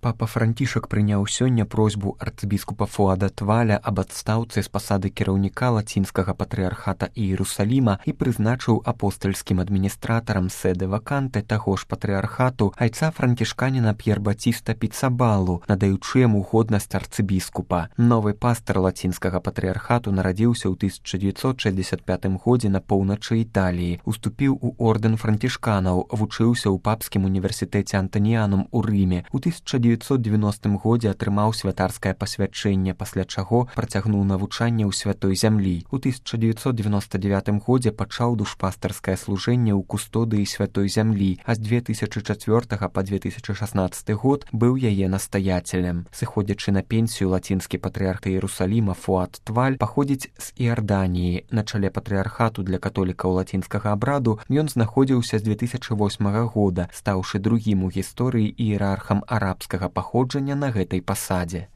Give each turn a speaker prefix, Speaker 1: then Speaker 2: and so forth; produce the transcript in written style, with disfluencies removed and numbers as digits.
Speaker 1: Папа Францішак прыняў сёння просьбу арцыбіскупа Фуада Тваля аб адстаўцы з пасады кіраўніка лацінскага патрыархата Іерусаліма і прызначыў апостальскім адміністратарам сэды ваканты таго ж патрыархату айца францішканіна П'єр-Батіста Піцабалу, надаючы яму годнасць арцыбіскупа. Новы пастар лацінскага патрыархату нарадзіўся ў 1965 годзе на поўначы Італіі, уступіў у ордэн францішканаў, вучыўся ў папскім універсітэце Антаніянум у Рыме. У 1990 годзе атрымаў святарскае пасвячэнне, пасля чаго працягнуў навучанне ў святой зямлі. У 1999 годзе пачаў душпастарскае служэнне ў кустодыі святой зямлі, а з 2004 па 2016 год быў яе настаяцелем. Сыходзячы на пенсію, лацінскі патрыарх Іерусаліма Фуад Тваль паходзіць з Іарданіі. На чале патрыархату для католікаў лацінскага абраду ён знаходзіўся з 2008 года, стаўшы другім у гісторыі іерархам арабскага паходжання на гэтай пасадзе.